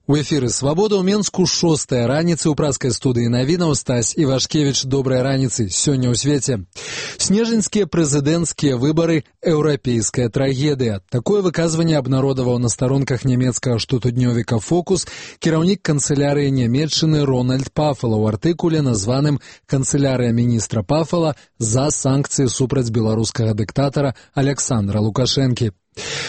У эфіры «Свабода» ў Менску 6-я раніцы ў праскай студыі навінаў Стась Івашкевіч. Добрай раніцы. Сёння ў свеце. Снежаньскія прэзідэнцкія выбары – еўрапейская трагедыя. Такое выказванне абнародаваў на старонках нямецкага штотыднёвіка «Фокус» кіраўнік канцылярыі Нямецчыны Рональд Пафала ў артыкуле, названым «Канцылярыя міністра Пафала за санкцыі супраць беларускага дыктатара Александра Лукашэнкі».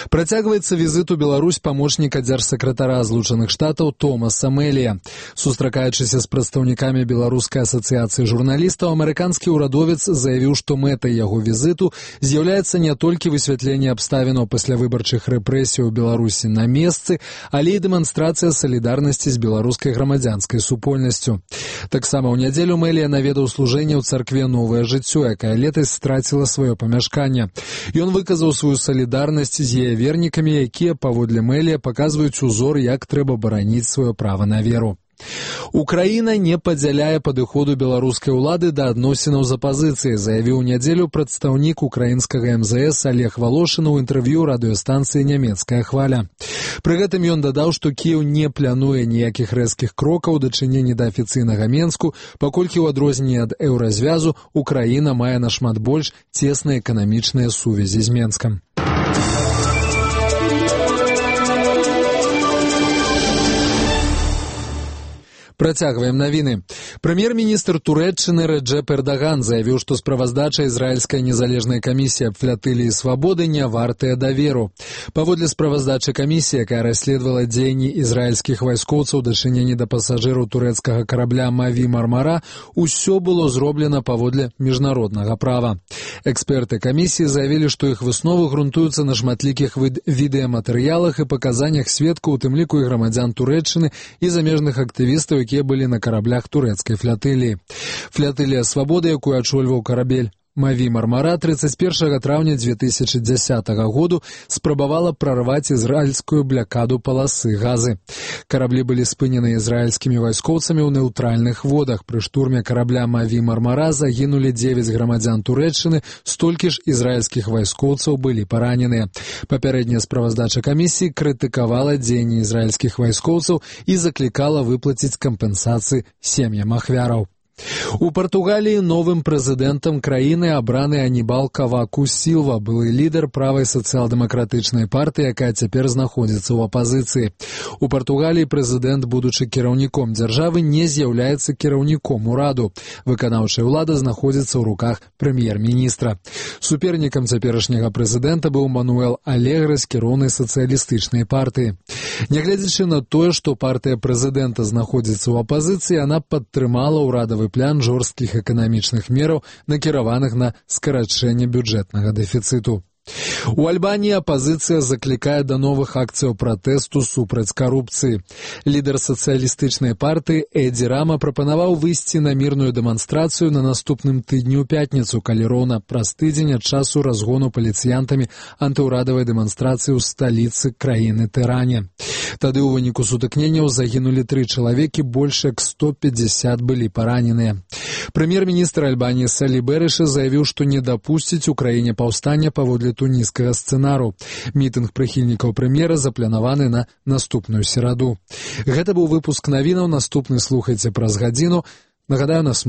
Працягваецца візит у Беларусь памочніка дзяржсакратара Злучаных Штатаў Томаса Мэлія. Сустракаючыся з прадстаўнікамі Беларускай асацыяцыі журналістаў, амерыканскі ўрадовец заявіў, што мэтай яго візіту з'яўляецца не толькі высвятленне абставінаў паслявыбарчых рэпрэсій у Беларусі на месцы, але і дэманстрацыя салідарнасці з беларускай грамадзянскай супольнасцю. Таксама ў нядзелю Мэлія наведаў служэнне ў царкве «Новае жыццё», якая летась страціла сваё памяшканне. Ён выказаў сваю салідарнасць з яе вернікамі, якія, паводле Мэлія, паказваюць узор, як трэба бараніць сваё права на веру. Украіна не падзяляе падыходу беларускай улады да адносінаў з апазіцыяй, заявіў у нядзелю прадстаўнік украінскага МЗС Олег Волошин у інтэрв'ю радыёстанцыі «Нямецкая хваля». Пры гэтым ён дадаў, што Кіеў не плануе ніякіх рэзкіх крокаў у дачыненні да афіцыйнага Менску, паколькі ў адрозненне ад еўразвязу Украіна мае нашмат больш цесныя эканамічныя сувязі з Менскам. Працягваем навіны. Прэм'ер-міністр Турэччыны Рэджэп Эрдаган заявіў, што справаздача ізраільскай незалежнай камісіі аб флатыліі свабоды не вартая даверу. Паводле справаздачы камісіі, якая расследавала дзеянні ізраільскіх вайскоўцаў у дачыненні да пасажыраў турэцкага карабля «Маві Мармара», усё было зроблена паводле міжнароднага права. Эксперты камісіі заявілі, што іх высновы грунтуюцца на шматлікіх відэаматэрыялах і паказаннях сведкаў, у тым ліку і грамадзян Турэччыны і замежных актывістаў, якія былі на караблях турэцкай флатыліі. Флатылія свабоды, якую ачольваў карабель «Маві Мармара», 31 траўня 2010 году спрабавала прарваць ізраільскую блякаду паласы газы. Караблі былі спынены ізраільскімі вайскоўцамі ў нейтральных водах. Пры штурме карабля «Маві Мармара» загінулі 9 грамадзян Турэччыны, столькі ж ізраільскіх вайскоўцаў былі параненыя. Папярэдняя справаздача камісіі крытыкавала дзеянні ізраільскіх вайскоўцаў і заклікала выплаціць кампенсацыі сем'ям ахвяраў. У Партугаліі новым прэзідэнтам краіны абраны Анібал Каваку Сілва, былы лідар правай сацыял-дэмакратычнай партыі, якая цяпер знаходзіцца ў апазіцыі. У Партугаліі прэзідэнт, будучы кіраўніком дзяржавы, не з'яўляецца кіраўніком ураду. Выканаўчая ўлада знаходзіцца ў руках прэм'ер-міністра. Супернікам цяперашняга прэзідэнта быў Мануэл Алегрэ з кіроўнай сацыялістычнай партыі. Нягледзячы на тое, што партыя прэзідэнта знаходзіцца ў апазіцыі, яна падтрымала ўрадавы план жорсткіх эканамічных мераў, накіраваных на скарачэнне бюджэтнага дэфіцыту. У Альбаніі апазіцыя заклікае да новых акцыяў пратэсту супраць карупцыі. Лідар сацыялістычнай партыі Эдзі Рама прапанаваў выйсці на мірную дэманстрацыю на наступным тыдні ў пятніцу, калі роўна праз тыдзень ад часу разгону паліцыянтамі антыўрадавай дэманстрацыі ў сталіцы краіны Тэране. Тады ў выніку сутыкненняў загінулі 3 чалавекі, больш як 150 былі параненыя. Прэм'ер-міністр Альбаніі Салі Бэрыша заявіў, што не дапусціць у краіне паўстання паводле туніскага сцэнару. Мітынг прыхільнікаў прэм'ера запланаваны на наступную сераду. Гэта быў выпуск навінаў, наступны слухайце праз гадзіну. Нагадаю, нас